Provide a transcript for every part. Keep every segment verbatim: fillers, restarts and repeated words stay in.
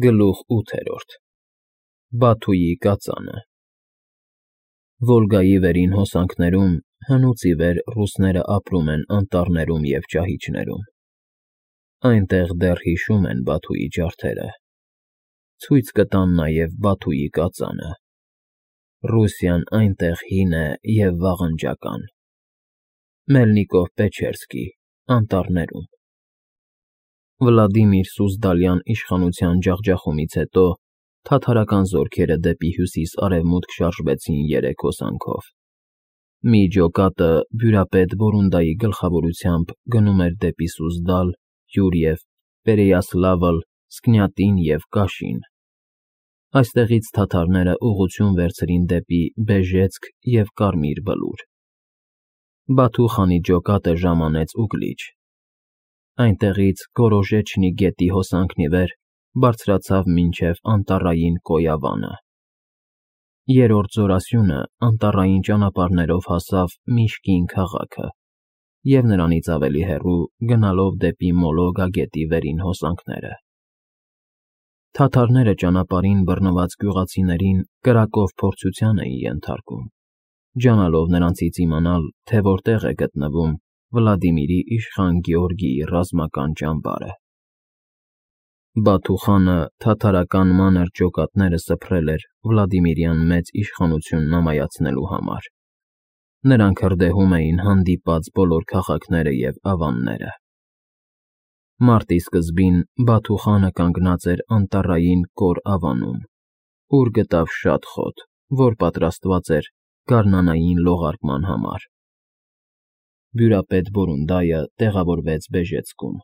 Գլուխ ութ Բաթուի կածանը Վոլգայի վերին հոսանքներում հնուց ի վեր ռուսները ապրում են անտառներում և ճահիճներում, այնտեղ դեռ հիշում են Բաթուի ջարդերը, ցույց կտան նաև Բաթուի կածանը, Ռուսիան այնտեղ հին է և վաղնջական, Մելնիկով֊Պեչերսկի, անտառներում։ Վլադիմիր Սուզդալյան իշխանության ջախջախումից հետո թաթարական զորքերը դեպի հյուսիս֊արևմուտք շարժվեցին երեք հոսանքով. մի ջոկատը բյուրապետ Բորունդայի գլխավորությամբ գնում էր դեպի Սուզդալ, Յուրիև, Պերեյասլավլ, Սկնյատին և Կաշին, այստեղից թաթարները ուղղություն վերցրին դեպի Բեժեցկ և Կարմիր Բլուր։ Բաթու խանի ջոկատը ժամանեց Ուգլիչ, այնտեղից Գորոժեչնի գետի հոսանքն ի վեր բարձրացավ մինչև անտառային Կոյավանը։ Երրորդ զորասյունը անտառային ճանապարհներով հասավ Միշկին քաղաքը և նրանից ավելի հեռու գնալով դեպի Մոլոգա գետի վերին հոսանքները։ Թաթարները ճանապարհին բռնված գյուղացիներին կրակով փորձության էին ենթարկում, ջանալով նրանցից իմանալ, թե որտեղ է գտնվում Վլադիմիրի իշխան Գեորգիի ռազմական ճամբարը։ Բաթու խանը թաթարական մանր ջոկատները սփռել էր Վլադիմիրյան մեծ իշխանությունն ամայացնելու համար։ Նրանք հրդեհում էին հանդիպած բոլոր քաղաքները և ավանները։ Մարտի սկզբին Բաթու խանը կանգնած էր անտառային Կոր ավանում, ուր գտավ շատ խոտ, որ պատրաստված էր գարնանային լողարկման համար։ Բյուրապետ Բորունդայը տեղավորվեց Բեժեցկում։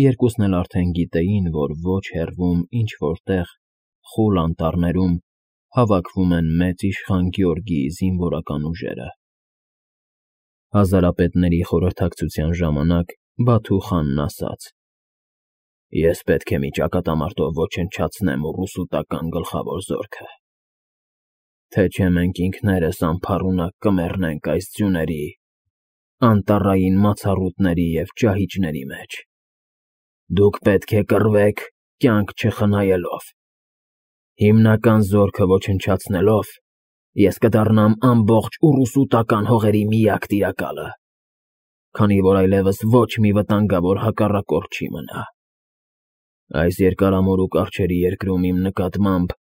Երկուսն էլ արդեն գիտեին, որ ոչ հեռվում ինչ֊որ տեղ, խուլ անտառներում հավաքվում են մեծ իշխան Գեորգիի զինվորական ուժերը։ Հազարապետների խորհրդակցության ժամանակ Բաթու խանն ասաց. «Ես պետք է մի ճակատամարտով ոչնչացնեմ ուռուսուտական գլխավոր զորքը, թե չէ մենք ինքներս անփառունակ կմեռնենք այս ձյուների, անտառային մացառուտների և ճահիճների մեջ։ Դուք պետք է կռվեք, կյանք չխնայելով։ Հիմնական զորքը ոչնչացնելով՝ ես կդառնամ ամբողջ ուռուսուտական հողերի միակ տիրակալը, քանի որ այլևս ոչ մի վտանգավոր հակառակորդ չի մնա։ Այս երկարամորուք արջերի երկրում իմ նկատմամբ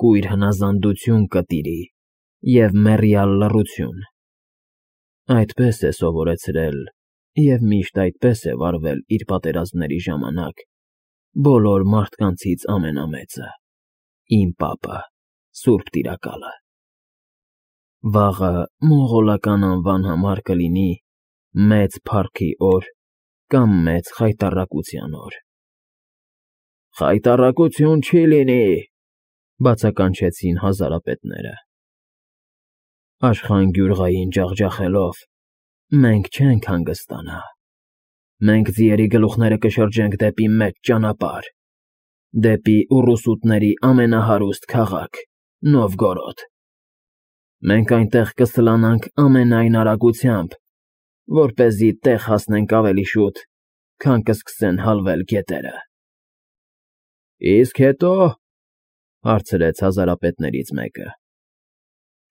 կույր հնազանդություն կտիրի և մեռյալ լռություն։ Այդպես է սովորեցրել և միշտ այդպես է վարվել իր պատերազմների ժամանակ բոլոր մարդկանցից ամենամեծը՝ իմ պապը, սուրբ տիրակալը։ Վաղը մոնղոլական անվան համար կլինի Մեծ Փառքի օր կամ Մեծ Խայտառակության օր»։ «Խայտառակություն չի լինի»,֊ բացականչեցին հազարապետները։ «Աշխան ջախջախելով մենք չենք հանգստանա։ Մենք ձիերի գլուխները կշրջենք դեպի մեծ ճանապարհ, դեպի ուռուսուտների ամենահարուստ քաղաք՝ Նովգորոդ։ Մենք այնտեղ կսլանանք ամենայն արագությամբ, որպեսզի տեղ հասնենք ավելի շուտ, քան կսկսեն հալվել գետերը»։ «Իսկ հետո՞», հարցրեց հազարապետներից մեկը։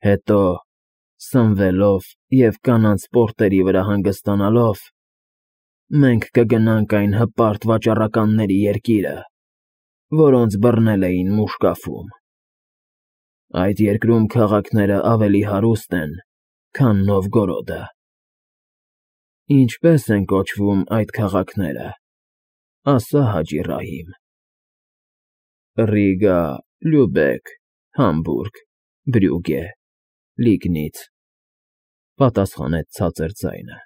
«Հետո, սնվելով և կանանց պորտերի վրա հանգստանալով, մենք կգնանք այն հպարտ վաճառականների երկիրը, որոնց բռնել էին Մուշկաֆում։ Այդ երկրում քաղաքները ավելի հարուստ են, քան Նովգորոդը»։ «Ինչպե՞ս են կոչվում այդ քաղաքները, ասա Հաջի Ռահիմ»։ «Ռիգա, Լյուբեկ, Համբուրգ, Բրյուգե, Լիգնից», պատասխանեց ցածր ձայնը։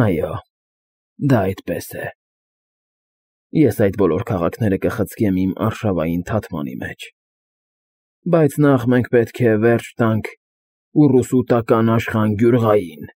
«Այո, դա այդպես է։ Ես այդ բոլոր քաղաքները կխցկեմ իմ արշավային թաթմանի մեջ։ Բայց նախ մենք պետք է վերջ տանք ուռուսուտական աշխան Գյուրղային»։